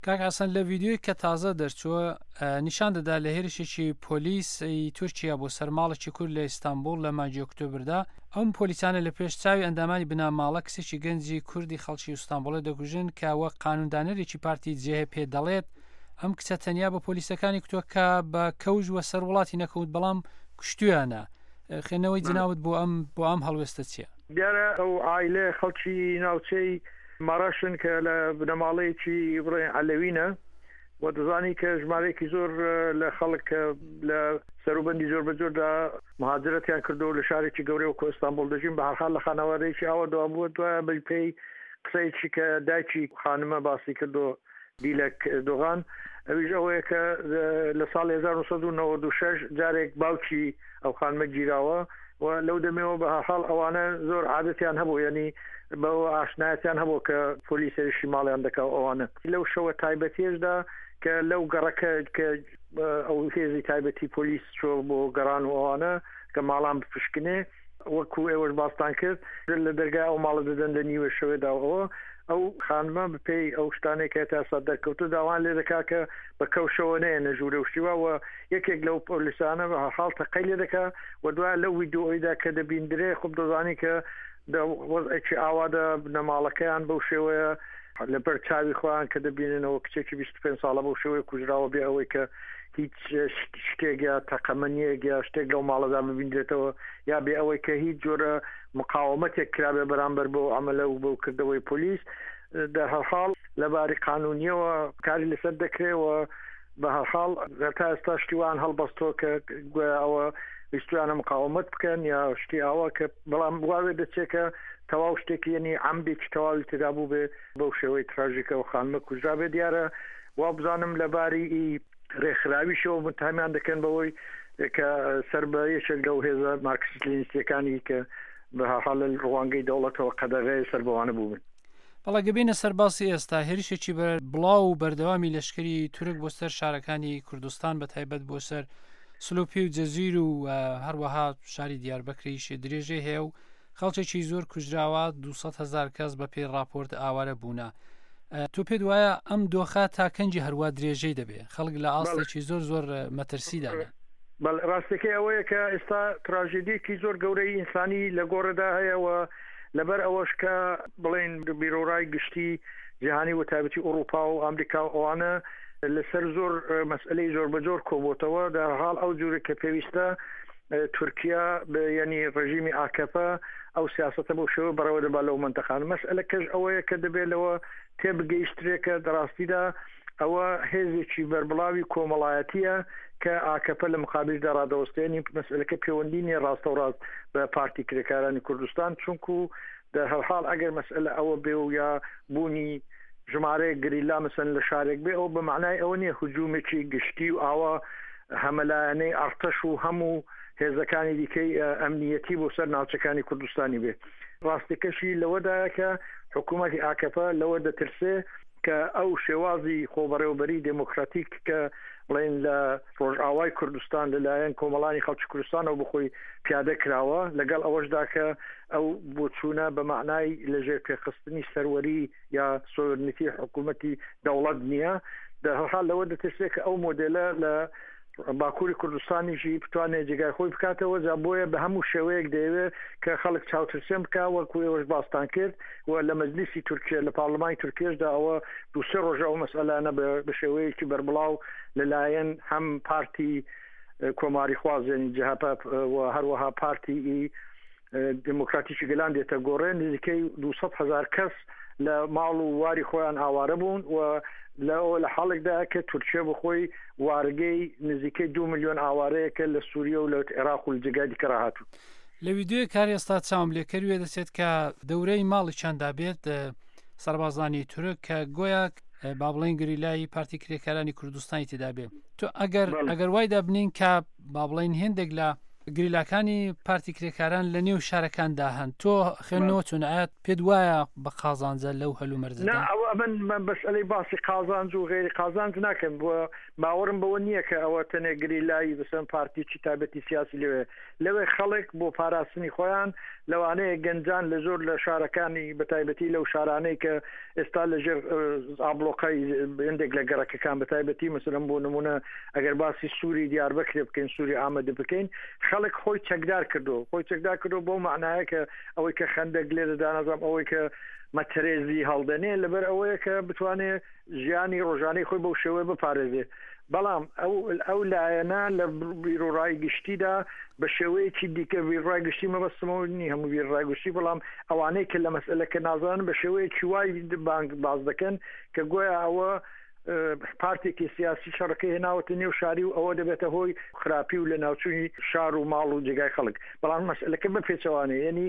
کاک حەسەن لە ڤیدیۆی کە تازە دەرچووە نیشان دەدا لە هێرشێکی پۆلیس ی تورکیا بۆ سەر ماڵێکی کورد لە ئیستانبوڵ لە مانگی ئۆکتۆبردا ئەم پۆلیسانە لە پێش چاوی ئەندامانی بنەماڵە کچێکی گەنجی کوردی خەڵکی ئیستانبوڵێ دەکوژن کە وەک قانوندانەرێکی پارتی جهپ دەڵێت ئەم کچە تەنیا بە پۆلیسەکانی کوتوە کە بە کەوش وە سەر وڵاتی نەکەوت بەڵام کوشتویانە خوێندنەوەی جناوت بۆ ئەم بۆ ئەم هەڵوێستە چییە؟ دیارە ئەو عایلەیە خەڵکی ناوچەی مەڕەشن کە لە بنەماڵەیەکی بڵێن عەلەوینە و دەزانی کە ژمارەیەکی زۆر لە خەڵک کە لە سەروبەندی زۆر بە جۆردا مهاجرەتیان کردو لە شارێکی گەورەی وەکو ئیستانبوڵ دەژین بە هەرحاڵ لە خانەوادەیەکی ئاوا دوا بووە دوایە بە پێی قسەیەکی کە دایکی خانمە باسی کردو دیلەک دۆغان ئەویش ئەوەیە کە لە ساڵی 1996 جارێک باوکی ئەو خانمە گیراوە و لەو دەمەوە بە هەرحاڵ ئەوانە زۆر عادەتیان هەبوو یعنی بەوە ئاشنایەتیان هەبوو کە پۆلیس هێرشی ماڵیان دەکا و ئەوانە لەو شەوە تایبەتیەشدا کە لەو گەڕەکە کە ئەو هێزی تایبەتی پۆلیس چۆ بۆ گەڕان و ئەوانە کە ماڵان بپشکنێ وەکو ئێوەش باستان کرد لە دەرگای ئەو ماڵە دەدەن لە نیوە شەوێدا و ئەوە ئەو خانمە بەپێی ئەو شتانەی کە تا ئێستا دەرکەوتوو داوایان لێ دەکا کە بە کەوشەوە نەیەنە ژوورێ و شتی وا و یەکێک لەو پۆلیسانە بە هەرحاڵ تەقەی لێ دەکا و دوای لەو ویدیۆیدا کە دەبیندرێ خۆ دەزانی کە دە وەزعێکی ئاوادا بنەماڵەکەیان بەو شێوەیە لەبەر چاوی خۆیان کە دەبیننەوە کچێکی 25 ساڵە بەو شێوەیە کوژراوە بێ ئەوەی کە هیچ شتێک یا تەقەمەنیەک یا شتێک لەو ماڵەدا ببیندرێتەوە یا بێ ئەوەی کە هیچ جۆرە مقاومەتێک کرابێ بەرامبەر بەو عەمەلە و بەو کردەوەی پۆلیس دە هەرحاڵ لە باری قانونیەوە کاری لەسەر دەکرێ و بە هەرحاڵ تا ئێستا شتی وان هەڵبەستۆ کە گویا ئەوە ویستویانە مقاومەت بکەن یا شتی ئاوا کە بەڵام واوێ دەچێت کە تەواو شتێکی یەنی عەمدێکی تەواوی تێدا بووبێ بەو شێوەی تراژیکە و خانمە کوژرابێ دیارە وابزانم لە باری ئی رێکخراویشەوە متهمیان دەکەن بەوەی کە سەر بە یەکێک لەو هێزە مارکسیست لینیستیەکانی کە بە هەرحاڵ لە ڕوانگەی دەوڵەتەوە قەدەغەیە سەر بەوانە بووبن. بەڵێ گە بێینە سەر باسی ئێستا هێرشێکی بەر بڵاو و بەردەوامی لەشکری تورک بۆ سەر شارەکانی کوردستان بە تایبەت بۆ سەر سلوپی و جەزیر و هەروەها شاری دیاربەکریش درێژەی هەیە و خەڵکێکی زۆر کوژراوە 200 هزار کەس بە پێی راپۆرت ئاوارە بوونە تۆ پێت وایە ئەم دۆخە تا کەنجی هەروە درێژەی دەبێ خەڵک لە ئاستێکی زۆر زۆر مەترسیدانە بەڵێ ڕاستەکەی ئەوەیە کە ئێستا تراژێدیەکی زۆر گەورەی ئینسانی لە گۆڕێدا هەیە و لەبەر ئەوەش کە بڵێن بیرۆڕای گشتی جیهانی و تایبەتی ئوڕوپا و ئامریکا و ئەوانە لەسەر زۆر مەسئلەی زۆر بەجۆر کۆبۆتەوە دەرحاڵ ئەو جورە کە پێویستە تورکیا یعنی ڕژیمی ئاکەپە ئەو سیاستە بەو شێوە بەڕێوە دەبا لەو منتەقان مەسئلەکەش ئەوەیە کە دەبێت لەوە تێبگەیشترێکە دەڕاستیدا ئەوە هێزێکی بەربڵاوی کۆمەڵایەتییە کە ئاکەپە لە مقابیلدا ڕادەوەستێ، یانی مەسئەلەکە پێوەندی نییە ڕاستەوڕاست بە پارتی کرێکارانی کوردستان، چونکو دەرهەرحاڵ ئەگەر مەسئەلە ئەوە بێ و یا بوونی ژمارەیەک گریلا مەسەن لە شارێک بێ ئەوە بە مەعنای ئەوە نییە هجوومێکی گشتی و ئاوا هەمەلایەنەی ئەڕتەش و هەموو هێزەکانی دیکەی ئەمنییەتی بۆ سەر ناوچەکانی کوردستانی بێ. ڕاستیەکەشی لەوەدایە کە حکوومەتی ئاکەپە لەوە دەترسێ کە ئەو شێوازی خۆبەڕێوەبەری دێمۆکراتیک کە بڵێین لە ڕۆژئاوای کوردستان لەلایەن کۆمەڵانی خەڵکی کوردستانەوە بخۆی پیادە کراوە لەگەڵ ئەوەشدا کە ئەو بۆچوونە بە مەعنای لەژێر پێخستنی سەروەری یا سۆڤرنیتی حکوومەتی دەوڵەت نییە دەرحاڵ لەوە دەترسێت کە ئەو مۆدێلە لە باکووری کوردستانیشی بتوانێت جێگای خۆی بکاتەوە جا بۆیە بە هەموو شێوەیەک دەیەوێت کە خەڵک چاوترسێن بکا وەکو ئێوەش باستان کرد و لە مەجلیسی تورکیە لە پارلمانی تورکیەشدا ئەوە دوو سێ ڕۆژە ئەو مەسئەلانە بە شێوەیەکی بەربڵاو لەلایەن هەم پارتی کۆماریخواز یعنی جەهەپە و هەروەها پارتی ئی دێموکراتیکی گەلان دێتە گۆڕێ، نزیکەی 200 هەزار کەس لە ماڵ و واری خۆیان ئاوارە بوون و لەوە لە حاڵێکدایە کە تورکیە بەخۆی وارگەی نزیکەی دو میلیۆن ئاوارەیەکە لە سووریە و لە عێراق و لە جێگای دیکە ڕاهاتوون. لە ویدیۆیەک هەر ئێستا چاوم لێ کەر وێدەچێت کە دەورەی ماڵیچاندا بێت سەربازانی تورک کە گۆیا با بڵێن گریلای پارتی کرێکارانی کوردستانی تێدا بێ تۆ ئەگەر ئەگەر وای دابنین کە با بڵێین هێندێک لە گریلاکانی پارتی کرێکاران لە نێو شارەکاندا هەن تۆ خوێندنەوە چۆن ئایا پێت وایە بە قازانجە لەو هەلومەرجەدا؟ نا ئەوە ئەمن من مەسئەلەی باسی قازانج و غەیری قازانج ناکەم بۆ باوەڕم بەوە نییە کە ئەوە تەنێ گریلای بەسەن پارتیی تایبەتی سیاسی لەوێ لەوێ خەڵک بۆ پاراستنی خۆیان. لەوانەیە گەنجان لە زۆر لە شارەکانی بەتایبەتی لەو شارانەی کە ئێستا لە ژێر ئابلۆقای هەندێک لە گەڕەکەکان بەتایبەتی مەسەلەن بۆ نمونە ئەگەر باسی سووری دیاربەکرێ بکەین سووری ئامەد بکەین خەڵک خۆی چەکدار کردو خۆی چەکدار کردو بۆ معنایە کە ئەوەی کە خەندەک لێ دەدا نازانم ئەوەی کە مەتەرێزی هەڵدەنێ لەبەر ئەوەیە کە بتوانێ ژیانی ڕۆژانەی خۆی بەو شێوەیە بپارێزێ بەڵام ئەو ئەو لایەنە لە بیرۆڕای گشتیدا بە شێوەیەکی دیکە بیرڕای گشتی مەبەستمەوە نی هەموو بیرڕای گشتی بەڵام ئەوانەی کە لە مەسئلەکە نازانن بە شێوەیەکی وای بانگ باز دەکەن کە گۆیا ئەوە پارتێکی سیاسی شەڕەکەی هێناوەتە نێو شاری و ئەوە دەبێتە هۆی خراپی و لە ناوچووی شار و ماڵ و جێگای خەڵک بەڵام مەسئلەکە بە پێچەوانەیە یعنی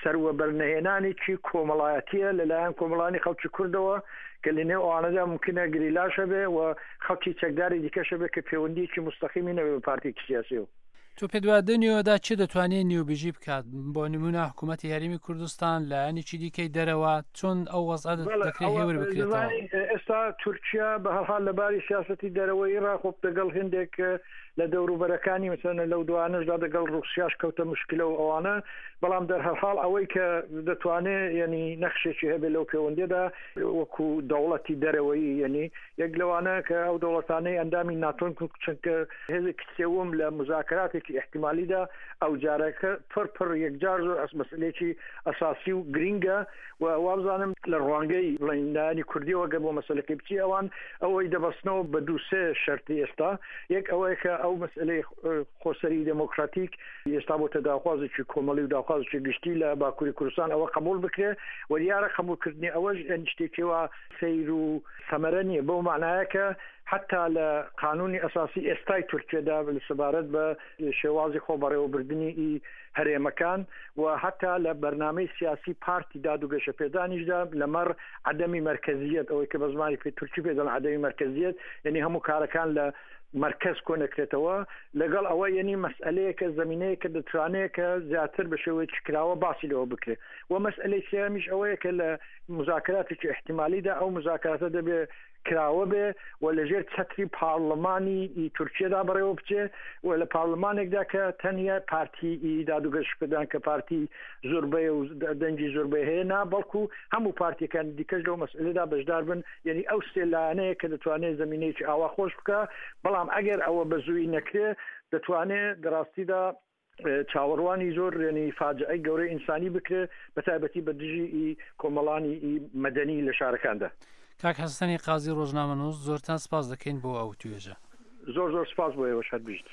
سەروەبەرنەهێنانێکی کۆمەڵایەتییە لەلایەن کۆمەڵانی خەڵکی کوردەوە کە لە نێو ئەوانەدا مومکینە گریلاش هەبێ و خەڵکی چەکداری دیکەش هەبێ کە پێوەندییەکی موستەقیمی نەبێ بە پارتێکی سیاسییەوە. تۆ پێت وایە دە نێوەدا چ دەتوانێ نێوبژی بکات؟ بۆ نموونە حکوومەتی هەرێمی کوردستان، لایەنێکی دیکەی دەرەوە، چۆن ئەو وەزعە بەڵێ دەکرێ ئەوە هێور بکرێتەوە؟ دەزانی ئێستا تورکیا بە هەر حاڵ لە باری سیاسەتی دەرەوەیی ڕا خۆ دەگەڵ هێندێک لە دەوروبەرەکانی مەسەلەن لەو دوانەشدا دەگەڵ ڕووسیاش کەوتە مشکلە و ئەوانە بەڵام دەرهەرحاڵ ئەوەی کە دەتوانێ یەنی نەخشێکی هەبێ لەو پێوەندیەدا وەکو دەوڵەتی دەرەوەیی یەنی یەک لەوانە کە ئەو دەوڵەتانەی ئەندامی ناتۆن چونکە هێزێکی سێوم لە مزاکراتێکی ئیحتیمالیدا ئەو جارەکە پڕ پڕ یەکجار زۆر ئەس مەسئلەیەکی ئەساسی و گرینگە و وابزانم لە ڕوانگەی بڵێین لایەنی کوردیەوە گەر بۆ مەسەلەکەی بچی ئەوان ئەوەی دەبەستنەوە بە دوو سێ شەرتی ئێستا یەک ئەوەیە کە ئەو مەسئلەی خۆسەری دێمۆکراتیک ئێستا بۆتە داخوازێکی کۆمەڵی و داخوازێکی گشتی لە باکووری کوردستان ئەوە قبوڵ بکرێ و دیارە قبوڵکردنی ئەوەش یانی شتێکی وا سەیر و سەمەرە نییە بەو مانایە کە حتا لە قانونی ئەساسی ئێستای تورکیەدا سەبارەت بە شێوازی خۆ بەڕێوەبردنی ئی هەرێمەکان و هەتا لە بەرنامەی سیاسی پارتی داد و گەشەپێدانیشدا لەمەڕ عەدەمی مەرکەزیەت ئەوەی کە بە زمانی پێ تورکی پێ دەڵێن عەدەمی مەرکەزیەت یعنی هەموو کارەکان لە مەرکەز کۆ نەکرێتەوە لەگەڵ ئەوە یعنی مەسئلەیەکە زمینەیەکە دەتوانێت کە زیاتر بە شێوەیەکی کراوە باسی لەوە بکرێت و مەسئلەی سێیەمیش ئەوەیە کە لە مزاکراتێکی احتیمالیدا ئەو مزاکراتە دەبێ کراوە بێ و لە ژێر چەتری پارڵمانی ئی تورکیەدا بەڕێوە بچێ و لە پارڵمانێکدا کە تەنیا پارتی ئی داد و گەشەپێدان کە پارتی زۆربەیە و دەنگی زۆربەی هەیە نا بەڵکو هەموو پارتیەکانی دیکەش لەو مەسئلەدا بەشدار بن یعنی ئەو سێ لایەنەیە کە دەتوانێت زمینەیەکی ئاوا خۆش بکە بەڵام ئەگەر ئەوە بە زووی نەکرێ دەتوانێ دەڕاستیدا چاوەڕوانی زۆر یعنی فاجعەی گەورەی ئینسانی بکرێ بە تایبەتی بە دژی ئی کۆمەڵانی ئی مەدەنی لە شارەکاندا. کاک حەسەنی قازی ڕۆژنامەنووس زۆرتان سپاس دەکەین بۆ ئەو توێژە. زۆر زۆر سپاس بۆ ئێوەش هەر بژیت.